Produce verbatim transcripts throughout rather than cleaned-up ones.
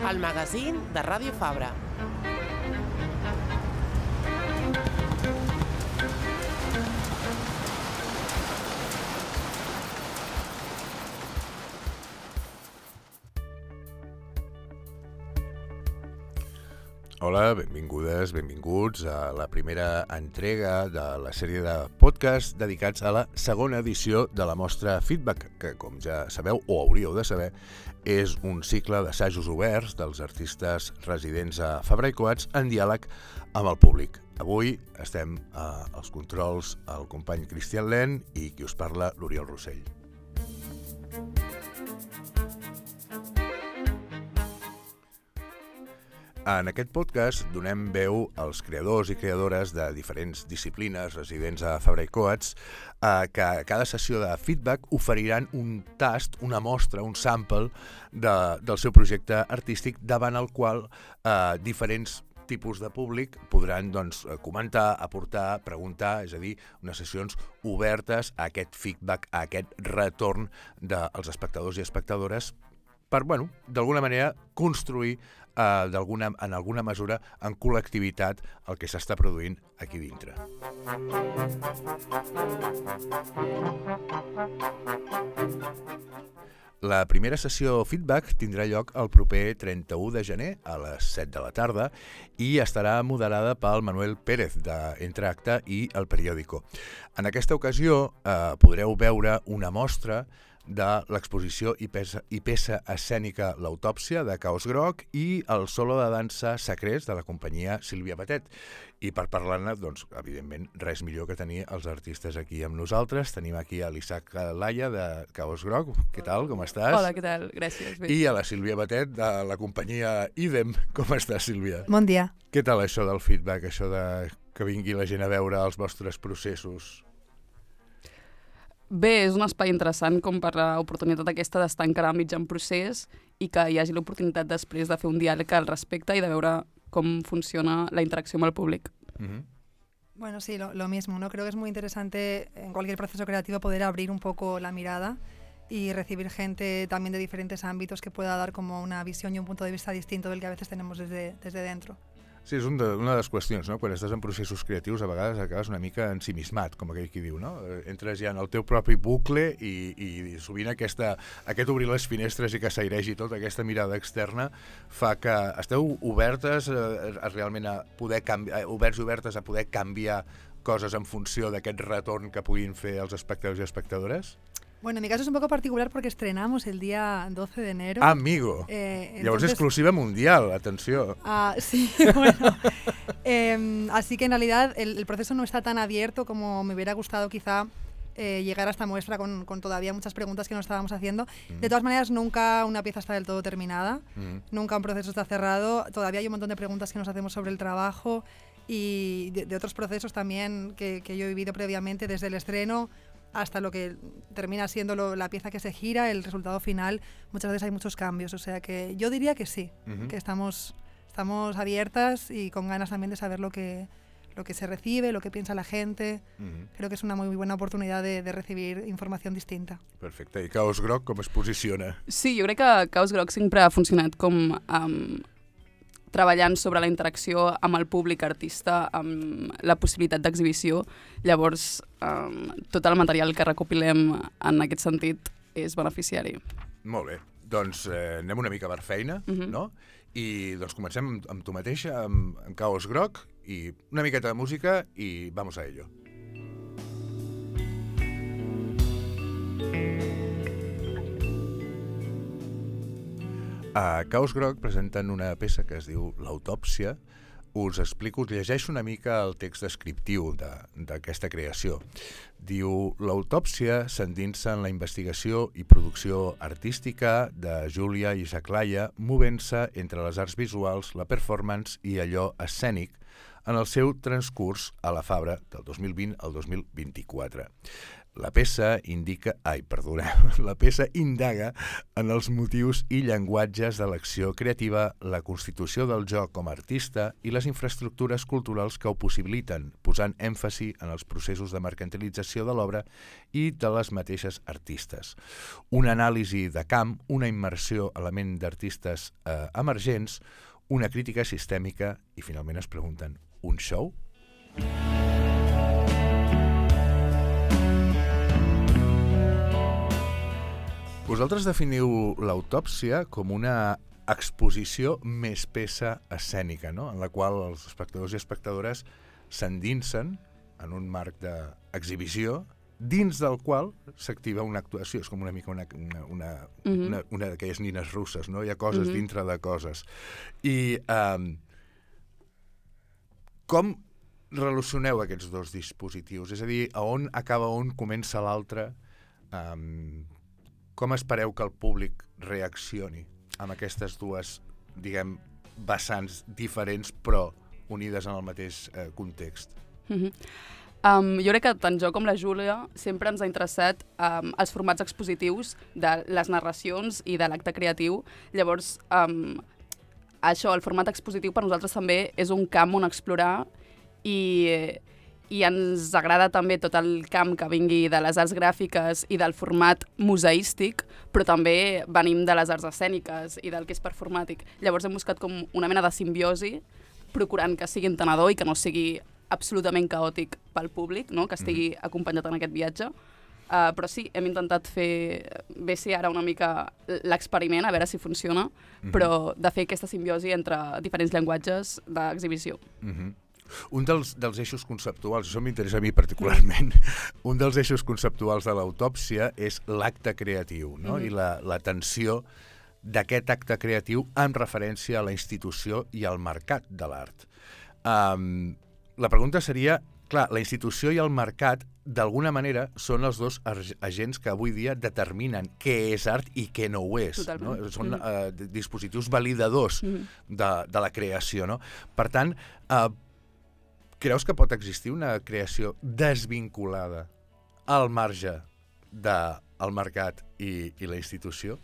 el magazín de Ràdio Fabra. Hola, benvingudes, benvinguts a la primera entrega de la sèrie de podcast dedicats a la segona edició de la mostra Feedback, que, com ja sabeu o hauríeu de saber, és un cicle d'assajos oberts dels artistes residents a Fabra i Coats en diàleg amb el públic. Avui estem als controls el company Cristian Len i qui us parla, l'Oriol Rossell. En aquest podcast donem veu als creadors i creadores de diferents disciplines residents a Fabra i Coats que a cada sessió de feedback oferiran un tast, una mostra, un sample de, del seu projecte artístic davant el qual eh, diferents tipus de públic podran doncs, comentar, aportar, preguntar, és a dir, unes sessions obertes a aquest feedback, a aquest retorn dels espectadors i espectadores per, bueno, d'alguna manera construir Uh, d'alguna, en alguna mesura en col·lectivitat el que s'està produint aquí dintre. La primera sessió feedback tindrà lloc el proper trenta-u de gener a les set de la tarda i estarà moderada pel Manuel Pérez d'Entre Acte i El Periódico. En aquesta ocasió eh, podreu veure una mostra de l'exposició i peça, i peça escènica L'autòpsia de Caos Groc i el solo de dansa Sacrés de la companyia Sílvia Batet. I per parlar-ne, doncs, evidentment, res millor que tenir els artistes aquí amb nosaltres. Tenim aquí a l'Isaac Laia de Caos Groc. Què tal? Com estàs? Hola, què tal? Gràcies. Bé. I a la Sílvia Batet de la companyia Idem. Com estàs, Sílvia? Bon dia. Què tal això del feedback, això de que vingui la gent a veure els vostres processos? Bé, és un espai interessant com per l'oportunitat aquesta d'estar encara mig en procés i que hi hagi l'oportunitat després de fer un diàleg al respecte i de veure com funciona la interacció amb el públic. Uh-huh. Bueno, sí, lo, lo mismo, ¿no? Creo que es muy interesante en cualquier proceso creativo poder abrir un poco la mirada y recibir gente también de diferentes ámbitos que pueda dar como una visión y un punto de vista distinto del que a veces tenemos desde, desde dentro. Sí, és un de, una de les qüestions, no? Quan estàs en processos creatius a vegades acabes una mica ensimismat, com aquell qui diu, no? Entres ja en el teu propi bucle i, i sovint aquesta, aquest obrir les finestres i que s'airegi tot, aquesta mirada externa, fa que esteu obertes a, a realment a poder canviar, oberts i obertes a poder canviar coses en funció d'aquest retorn que puguin fer els espectadors i espectadores? Bueno, en mi caso es un poco particular porque estrenamos el día doce de enero. Ah, amigo. Eh, entonces... Llavors exclusiva mundial, atenció. Ah, sí, bueno. eh, así que en realidad el, el proceso no está tan abierto como me hubiera gustado quizá eh, llegar a esta muestra con, con todavía muchas preguntas que nos estábamos haciendo. Mm. De todas maneras, nunca una pieza está del todo terminada, mm. nunca un proceso está cerrado. Todavía hay un montón de preguntas que nos hacemos sobre el trabajo y de, de otros procesos también que, que yo he vivido previamente desde el estreno hasta lo que termina siendo lo, la pieza que se gira, el resultado final. Muchas veces hay muchos cambios, o sea que yo diría que sí, uh-huh. que estamos, estamos abiertas y con ganas también de saber lo que, lo que se recibe, lo que piensa la gente. Uh-huh. Creo que es una muy buena oportunidad de, de recibir información distinta. Perfecte. I Caos Groc com es posiciona? Sí, jo crec que Caos Groc sempre ha funcionat com... Um, treballant sobre la interacció amb el públic artista, amb la possibilitat d'exhibició. Llavors, um, tot el material que recopilem en aquest sentit és beneficiari. Molt bé. Doncs eh, anem una mica per feina, uh-huh. no? I doncs comencem amb, amb tu mateixa, amb, amb Caos Groc, i una miqueta de música i vamos a ello. A Caos Groc presenten una peça que es diu L'autòpsia. Us explico, us llegeixo una mica el text descriptiu d'aquesta creació. Diu, l'autòpsia s'endinsa en la investigació i producció artística de Júlia i Isaac Laia, movent-se entre les arts visuals, la performance i allò escènic en el seu transcurs a la Fabra del dos mil vint al dos mil vint-i-quatre. La peça indica, ai, perdoneu, la peça indaga en els motius i llenguatges de l'acció creativa, la constitució del jo com a artista i les infraestructures culturals que ho possibiliten, posant èmfasi en els processos de mercantilització de l'obra i de les mateixes artistes. Una anàlisi de camp, una immersió a la ment d'artistes eh, emergents, una crítica sistèmica i finalment es pregunten, un show? Vosaltres definiu l'autòpsia com una exposició més peça escènica, no? En la qual els espectadors i espectadores s'endinsen en un marc d'exhibició dins del qual s'activa una actuació. És com una mica una, una, una, mm-hmm. una, una d'aquelles nines russes, no? Hi ha coses mm-hmm. dintre de coses. I um, com relacioneu aquests dos dispositius? És a dir, a on acaba on comença l'altre? Um, Com espereu que el públic reaccioni amb aquestes dues, diguem, vessants diferents però unides en el mateix eh, context? Mm-hmm. um, jo crec que tant jo com la Júlia sempre ens ha interessat um, els formats expositius de les narracions i de l'acte creatiu. Llavors, um, això, el format expositiu per nosaltres també és un camp on explorar i... i ens agrada també tot el camp que vingui de les arts gràfiques i del format museístic, però també venim de les arts escèniques i del que és performàtic. Llavors hem buscat com una mena de simbiosi, procurant que sigui entenedor i que no sigui absolutament caòtic pel públic, no? Que estigui mm. acompanyat en aquest viatge. Uh, però sí, hem intentat fer, bé si ara una mica l'experiment, a veure si funciona, mm-hmm. però de fer aquesta simbiosi entre diferents llenguatges d'exhibició. Mm-hmm. Un dels, dels eixos conceptuals, això m'interessa a mi particularment, un dels eixos conceptuals de l'autòpsia és l'acte creatiu, no? Mm-hmm. I la, la tensió d'aquest acte creatiu en referència a la institució i al mercat de l'art. Um, la pregunta seria, clar, la institució i el mercat d'alguna manera són els dos agents que avui dia determinen què és art i què no ho és. No? Són mm-hmm. uh, dispositius validadors mm-hmm. de, de la creació. No? Per tant, uh, creus que pot existir una creació desvinculada al marge del mercat i, i la institució?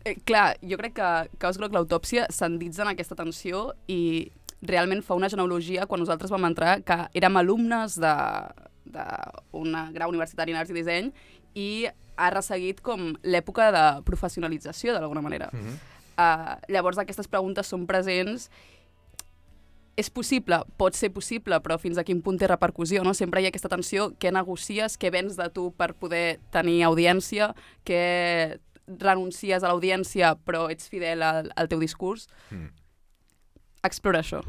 Eh, clar, jo crec que Caos Groc l'autòpsia s'enditza en aquesta tensió i realment fa una genealogia quan nosaltres vam entrar que érem alumnes d'una grau universitari en arts i disseny i ha resseguit com l'època de professionalització d'alguna manera. Mm-hmm. uh, llavors aquestes preguntes són presents. És possible, pot ser possible, però fins a quin punt té repercussió, no? Sempre hi ha aquesta tensió, què negocies, què vens de tu per poder tenir audiència, què renuncies a l'audiència però ets fidel al, al teu discurs. Mm. Explora això.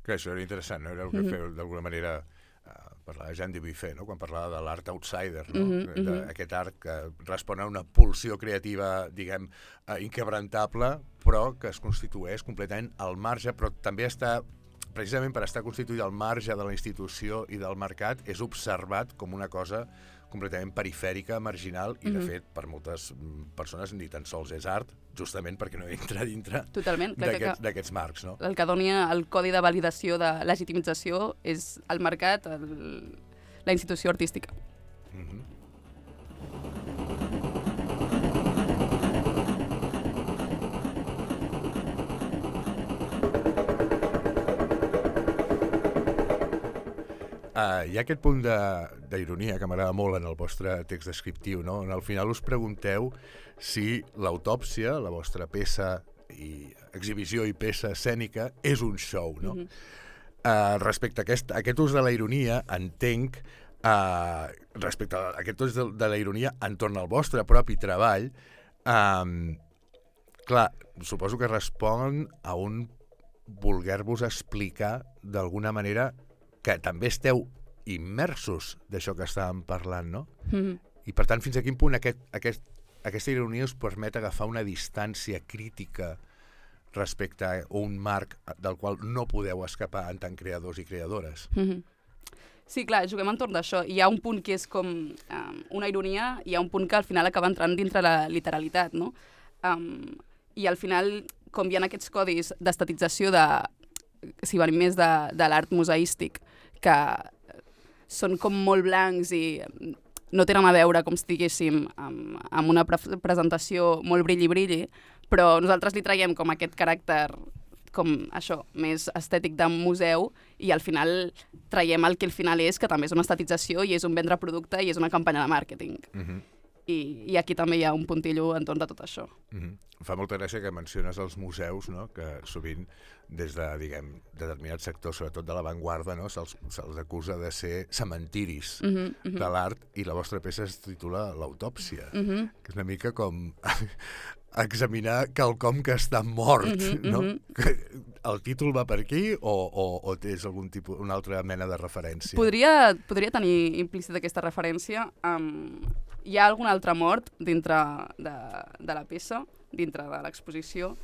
Que això era interessant, no? Era el que mm-hmm. feu d'alguna manera uh, parlava Jean Dubuffet, no? Quan parlava de l'art outsider, no? Mm-hmm. D'aquest art que respon a una pulsió creativa, diguem, uh, inquebrantable, però que es constitueix completament al marge, però també està precisament per estar constituït al marge de la institució i del mercat, és observat com una cosa completament perifèrica, marginal, i de mm-hmm. fet, per moltes persones ni tan sols és art, justament perquè no entra dintre d'aquests marcs. No? El que dona el codi de validació de legitimització és el mercat, el, la institució artística. Mm-hmm. Uh, hi ha aquest punt d'ironia que m'agrada molt en el vostre text descriptiu, no? On al final us pregunteu si l'autòpsia, la vostra peça i exhibició i peça escènica, és un show, no? Mm-hmm. uh, respecte a aquest, a aquest ús de la ironia, entenc, uh, respecte a aquest ús de, de la ironia entorn al vostre propi treball, um, clar, suposo que respon a un voler-vos explicar d'alguna manera que també esteu immersos d'això que estàvem parlant, no? Mm-hmm. I per tant, fins a quin punt aquest, aquest, aquesta ironia us permet agafar una distància crítica respecte a un marc del qual no podeu escapar en tant creadors i creadores? Mm-hmm. Sí, clar, juguem entorn d'això. Hi ha un punt que és com um, una ironia i hi ha un punt que al final acaba entrant dintre la literalitat, no? Um, I al final, com hi ha aquests codis d'estatització de si venim més de, de l'art museístic, que són com molt blancs i no tenen a veure, com si diguéssim, amb, amb una pre presentació molt brilli-brilli, però nosaltres li traiem com aquest caràcter com això, més estètic de museu i al final traiem el que al final és, que també és una estatització i és un vendre producte i és una campanya de màrqueting. Uh-huh. I, I aquí també hi ha un puntillo entorn de tot això. Uh-huh. Fa molta gràcia que menciones els museus, no? Que sovint des de, diguem, determinats sectors, sobretot de l'avantguarda, no? se'ls se acusa de ser cementiris uh -huh, uh -huh. de l'art i la vostra peça es titula L'autòpsia, uh -huh. que és una mica com examinar quelcom que està mort, uh -huh, no? Uh -huh. El títol va per aquí o, o, o tens algun tipus, una altra mena de referència? Podria, podria tenir implícita aquesta referència. Um, hi ha algun altre mort dintre de, de la peça, dintre de l'exposició,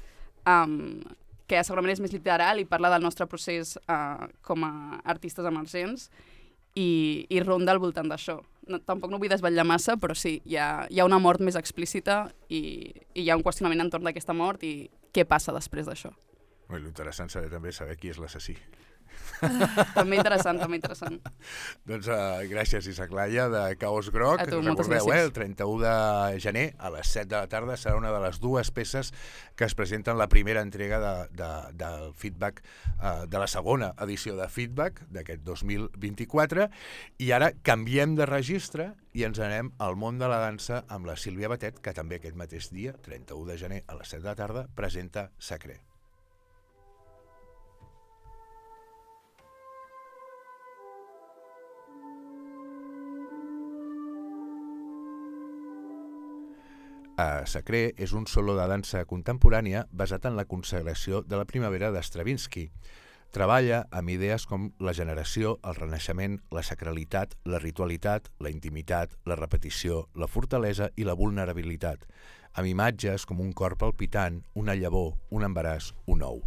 um, que segurament és més literal i parla del nostre procés uh, com a artistes emergents i, i ronda al voltant d'això. No, tampoc no vull desvetllar massa, però sí, hi ha, hi ha una mort més explícita i, i hi ha un qüestionament entorn d'aquesta mort i què passa després d'això. L'interessant serà també saber qui és l'assassí. També interessant, també interessant. Doncs uh, gràcies, Isaac Laia, de Caos Groc. A tu, recordeu, eh, el trenta-u de gener a les set de la tarda serà una de les dues peces que es presenten la primera entrega de, de, del feedback, uh, de la segona edició de Feedback d'aquest dos mil vint-i-quatre, i ara canviem de registre i ens anem al món de la dansa amb la Sílvia Batet, que també aquest mateix dia, trenta-u de gener a les set de la tarda, presenta Sacré. Uh, Sacré és un solo de dansa contemporània basat en la consagració de la primavera de Stravinsky. Treballa amb idees com la generació, el renaixement, la sacralitat, la ritualitat, la intimitat, la repetició, la fortalesa i la vulnerabilitat, amb imatges com un cor palpitant, una llavor, un embaràs, un ou.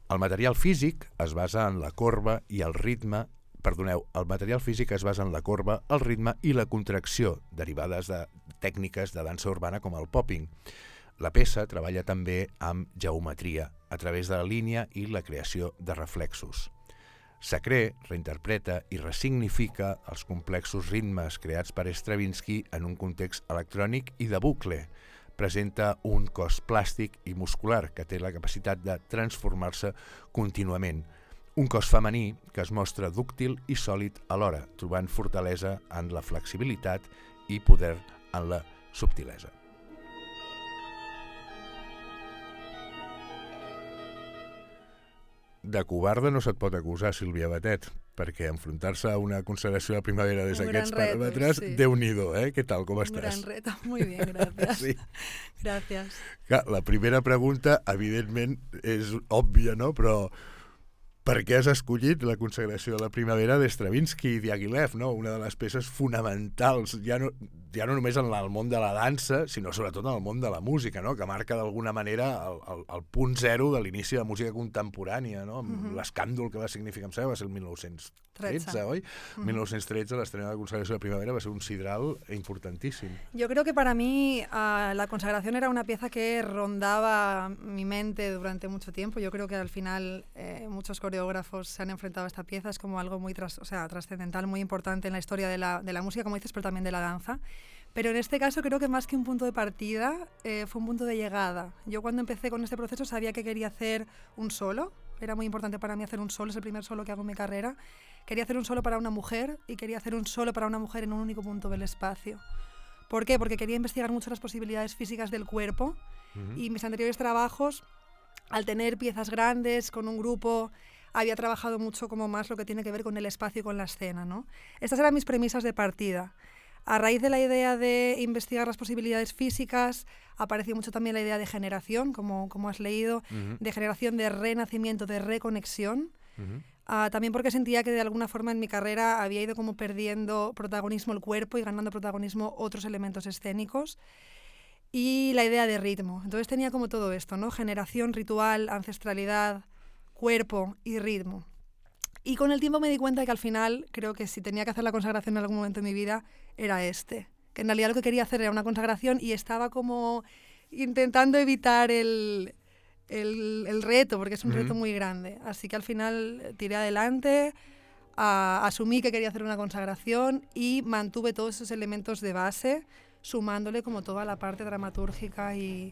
El material físic es basa en la corba i el ritme Perdoneu, el material físic es basa en la corba, el ritme i la contracció, derivades de tècniques de dansa urbana com el popping. La peça treballa també amb geometria, a través de la línia i la creació de reflexos. Sacré reinterpreta i ressignifica els complexos ritmes creats per Stravinsky en un context electrònic i de bucle. Presenta un cos plàstic i muscular que té la capacitat de transformar-se contínuament. Un cos femení que es mostra dúctil i sòlid alhora, trobant fortalesa en la flexibilitat i poder en la subtilesa. De covarda no se't pot acusar, Sílvia Batet, perquè enfrontar-se a una consagració de primavera des d'aquests paràmetres, sí. Déu-n'hi-do, eh? Què tal, com un estàs? Un gran reto, muy bien, gracias. Sí. Gracias. Clar, la primera pregunta, evidentment, és òbvia, no? Però per què has escollit la consagració de la primavera d'Stravinsky i Diaghilev, no? Una de les peces fonamentals, ja no, ja no només en el món de la dansa, sinó sobretot en el món de la música, no? Que marca d'alguna manera el, el, el punt zero de l'inici de la música contemporània, no? Mm-hmm. L'escàndol que va significar, em sembla, va ser el mil nou-cents tretze, oi? Mm-hmm. mil nou-cents tretze, l'estrena de la consagració de la primavera, va ser un sidral importantíssim. Yo creo que para mí uh, la consagración era una pieza que rondaba mi mente durante mucho tiempo. Yo creo que al final eh, muchos coreógrafos se han enfrentado a esta pieza, es como algo muy tras, o sea, trascendental, muy importante en la historia de la, de la música, como dices, pero también de la danza. Pero en este caso creo que más que un punto de partida, eh, fue un punto de llegada. Yo cuando empecé con este proceso sabía que quería hacer un solo, era muy importante para mí hacer un solo, es el primer solo que hago en mi carrera. Quería hacer un solo para una mujer y quería hacer un solo para una mujer en un único punto del espacio. ¿Por qué? Porque quería investigar mucho las posibilidades físicas del cuerpo. Uh-huh. Y mis anteriores trabajos, al tener piezas grandes, con un grupo, había trabajado mucho como más lo que tiene que ver con el espacio y con la escena, ¿no? Estas eran mis premisas de partida. A raíz de la idea de investigar las posibilidades físicas, apareció mucho también la idea de generación, como, como has leído, uh-huh. de generación, de renacimiento, de reconexión. Uh-huh. Uh, también porque sentía que de alguna forma en mi carrera había ido como perdiendo protagonismo el cuerpo y ganando protagonismo otros elementos escénicos. Y la idea de ritmo. Entonces tenía como todo esto, ¿no? Generación, ritual, ancestralidad, cuerpo y ritmo. Y con el tiempo me di cuenta de que al final creo que si tenía que hacer la consagración en algún momento de mi vida era este. Que en realidad lo que quería hacer era una consagración y estaba como intentando evitar el, el, el reto, porque es un uh-huh. reto muy grande. Así que al final tiré adelante, Uh, asumí que quería hacer una consagración y mantuve todos esos elementos de base, sumándole como toda la parte dramatúrgica y,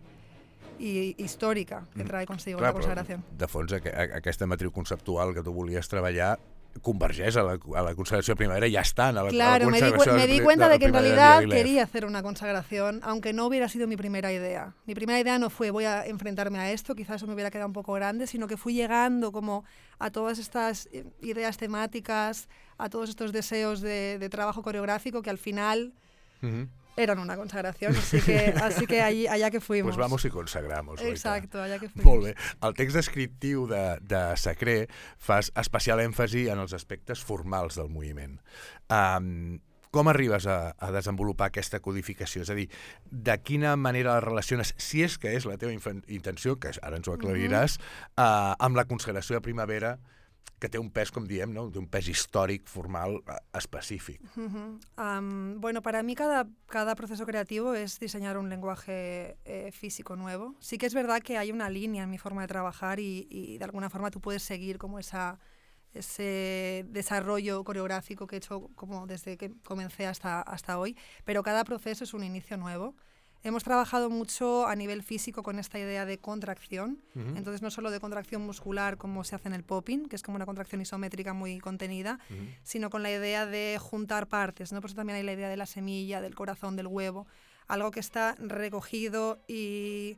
i històrica que trae consigo Clar, la consagració. De fons, a, a, aquesta matriu conceptual que tu volies treballar convergeix a la, a la consagració de primavera, ya están a la, claro, a la me, di, consagración me di de, cuenta de, de que en primavera realidad de Diaghilev. quería hacer una consagración, aunque no hubiera sido mi primera idea. Mi primera idea no fue voy a enfrentarme a esto, quizás eso me hubiera quedado un poco grande, sino que fui llegando como a todas estas ideas temáticas, a todos estos deseos de, de trabajo coreográfico que al final... Uh-huh. Eran una consagración, así que, así que allí, allá que fuimos. Pues vamos y consagramos. Exacto, allá que fuimos. Molt bé. El text descriptiu de, de Sacré fa especial èmfasi en els aspectes formals del moviment. Um, com arribes a, a desenvolupar aquesta codificació? És a dir, de quina manera la relaciones, si és que és la teva intenció, que ara ens ho aclariràs, uh-huh. uh, amb la consagració de primavera, que té un pes, com diem, ¿no? Un pes històric, formal, específic. Uh-huh. um, bueno, para mí cada, cada proceso creativo es diseñar un lenguaje eh, físico nuevo. Sí que es verdad que hay una línea en mi forma de trabajar y, y de alguna forma tú puedes seguir como esa, ese desarrollo coreográfico que he hecho como desde que comencé hasta, hasta hoy, pero cada proceso es un inicio nuevo. Hemos trabajado mucho a nivel físico con esta idea de contracción, uh-huh. entonces no solo de contracción muscular como se hace en el popping, que es como una contracción isométrica muy contenida, uh-huh. sino con la idea de juntar partes, ¿no? Por eso también hay la idea de la semilla, del corazón, del huevo, algo que está recogido y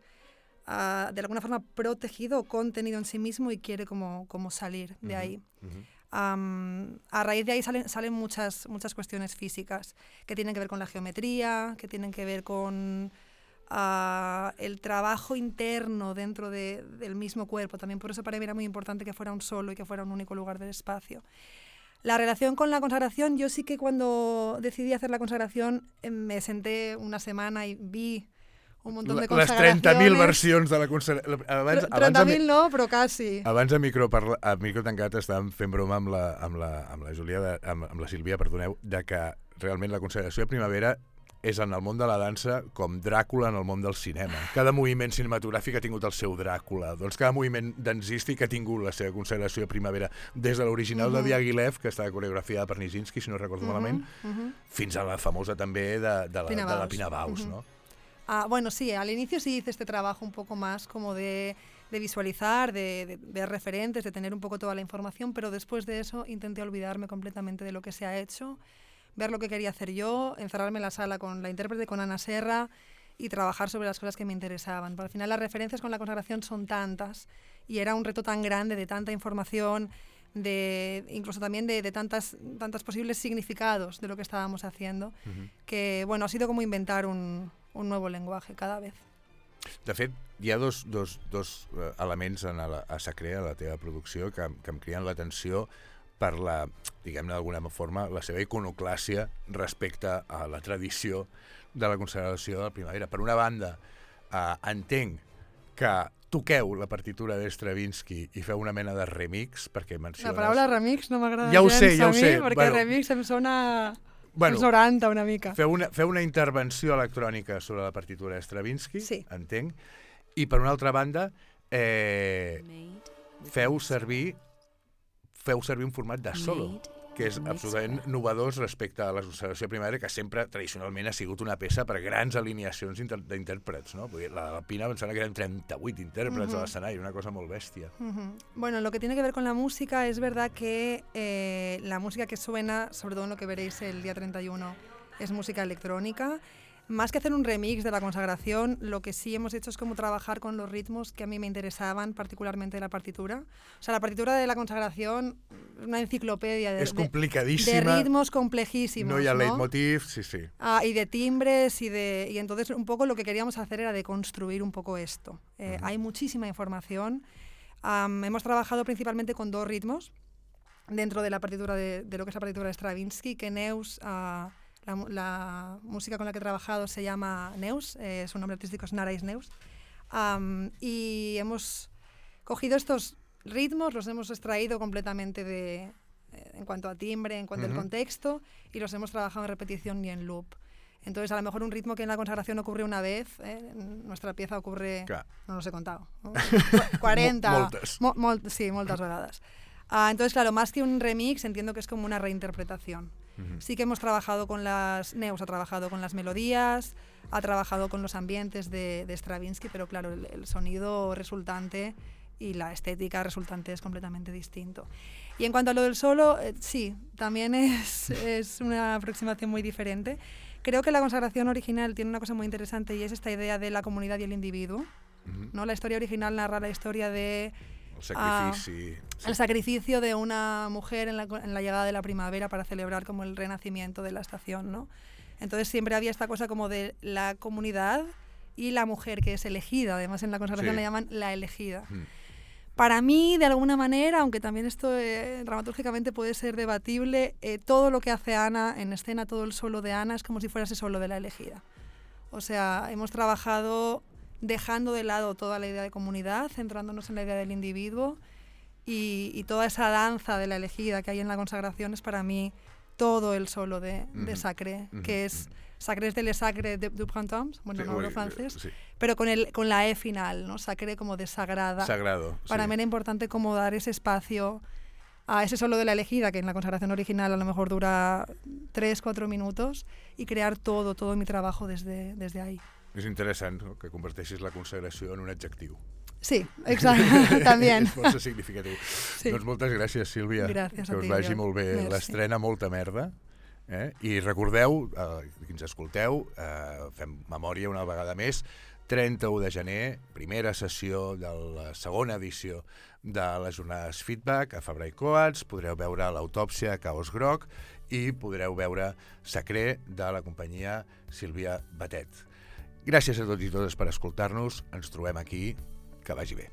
uh, de alguna forma protegido o contenido en sí mismo y quiere como, como salir de uh-huh. ahí. Uh-huh. Um, a raíz de ahí salen, salen muchas, muchas cuestiones físicas que tienen que ver con la geometría, que tienen que ver con uh, el trabajo interno dentro de, del mismo cuerpo. También por eso para mí era muy importante que fuera un solo y que fuera un único lugar del espacio. La relación con la consagración, yo sí que cuando decidí hacer la consagración eh, me senté una semana y vi un montón de consagracions. Les trenta mil versions de la consagració. trenta mil no, però quasi. Abans a micro, parla, a micro tancat estàvem fent broma amb la, amb la, amb la Júlia, de, amb, amb la Sílvia, perdoneu, de que realment la consagració de primavera és en el món de la dansa com Dràcula en el món del cinema. Cada moviment cinematogràfic ha tingut el seu Dràcula. Doncs cada moviment dansístic ha tingut la seva consagració de primavera, des de l'original uh-huh. de Diaghilev, que està coreografiada per Nijinsky, si no recordo uh-huh. malament, uh-huh. fins a la famosa també de, de, la, de la Pina Bausch, uh-huh. no? Ah, bueno, sí, al inicio sí hice este trabajo un poco más como de, de visualizar, de, de ver referentes, de tener un poco toda la información, pero después de eso intenté olvidarme completamente de lo que se ha hecho, ver lo que quería hacer yo, encerrarme en la sala con la intérprete, con Ana Serra, y trabajar sobre las cosas que me interesaban. Pero al final las referencias con la consagración son tantas, y era un reto tan grande de tanta información, de incluso también de, de tantas, tantas posibles significados de lo que estábamos haciendo, uh-huh. que bueno, ha sido como inventar un... un nuevo lenguaje cada vez. De fet, hi ha dos, dos, dos uh, elements en la, a Sacré, a la teva producció, que, que em criden l'atenció per la, diguem-ne d'alguna forma, la seva iconoclàsia respecte a la tradició de la consagració de la primavera. Per una banda, uh, entenc que toqueu la partitura d'Stravinsky i feu una mena de remix, perquè menciones... La paraula remix no m'agrada ja gens sé, ja a mi, sé. perquè bueno, remix em sona... Bueno, els noranta una mica. Feu una, feu una intervenció electrònica sobre la partitura de Stravinsky, sí. entenc, i per una altra banda eh, feu servir feu servir un format de solo, que és absolutament novedós respecte a la consagració primavera, que sempre tradicionalment ha sigut una peça per grans alineacions d'intèrprets, no? Vull dir, la de la Pina em sembla que eren trenta-vuit intèrprets uh-huh. a l'escenari, una cosa molt bèstia. Uh-huh. Bueno, lo que tiene que ver con la música, es verdad que eh, la música que suena, sobre todo en lo que veréis el día treinta y uno, es música electrónica. Más que hacer un remix de la consagración, lo que sí hemos hecho es como trabajar con los ritmos que a mí me interesaban, particularmente de la partitura. O sea, la partitura de la consagración es una enciclopedia de, es complicadísima, de, de ritmos complejísimos. No hi ha ¿no? leitmotiv, sí, sí. Ah, y de timbres, y de y entonces un poco lo que queríamos hacer era deconstruir un poco esto. Eh, uh-huh. Hay muchísima información. Um, hemos trabajado principalmente con dos ritmos dentro de la partitura de, de lo que es la partitura de Stravinsky, que Neus... Uh, La, la música con la que he trabajado se llama Neus, eh, su nombre artístico es Narais Neus, um, y hemos cogido estos ritmos, los hemos extraído completamente de, eh, en cuanto a timbre, en cuanto uh-huh. al contexto, y los hemos trabajado en repetición y en loop. Entonces, a lo mejor un ritmo que en la consagración ocurre una vez, eh, en nuestra pieza ocurre, claro. no los he contado, ¿no? cuarenta, Moltes. Mo, mol, sí, moltes vegades. Uh, entonces, claro, más que un remix, entiendo que es como una reinterpretación. Uh-huh. Sí que hemos trabajado con las... Neus ha trabajado con las melodías, ha trabajado con los ambientes de, de Stravinsky, pero claro, el, el sonido resultante y la estética resultante es completamente distinto. Y en cuanto a lo del solo, eh, sí, también es, es una aproximación muy diferente. Creo que la consagración original tiene una cosa muy interesante y es esta idea de la comunidad y el individuo. Uh-huh. ¿No? La historia original narra la historia de... El sacrifici. Uh, sí. El sacrificio de una mujer en la, en la llegada de la primavera para celebrar como el renacimiento de la estación, ¿no? Entonces siempre había esta cosa como de la comunidad y la mujer que es elegida. Además en la consagración sí. la llaman la elegida. Uh-huh. Para mí, de alguna manera, aunque también esto eh, dramatúrgicamente puede ser debatible, eh, todo lo que hace Ana en escena, todo el solo de Ana, es como si fuera ese solo de la elegida. O sea, hemos trabajado dejando de lado toda la idea de comunidad, centrándonos en la idea del individuo y, y toda esa danza de la elegida que hay en la consagración es para mí todo el solo de, uh-huh. de Sacré, uh-huh. que es... Sacré es de Le Sacre de, du Printemps, bueno, sí, no hablo francés, sí. pero con, el, con la E final, ¿no? Sacré como de sagrada. Sagrado. Para sí. mí era importante como dar ese espacio a ese solo de la elegida, que en la consagración original a lo mejor dura tres, cuatro minutos, y crear todo, todo mi trabajo desde, desde ahí. És interessant, no?, que converteixis la consagració en un adjectiu. Sí, exacte, també. És força significatiu. Sí. Doncs moltes gràcies, Sílvia. Gràcies que a ti. us vagi molt bé l'estrena, molta merda. Eh? I recordeu, eh, que ens escolteu, eh, fem memòria una vegada més, trenta-u de gener, primera sessió de la segona edició de les jornades Feedback a Fabra i Coats, podreu veure l'Autòpsia a Caos Groc i podreu veure Sacré de la companyia Sílvia Batet. Gràcies a tots i totes per escoltar-nos, ens trobem aquí, que vagi bé.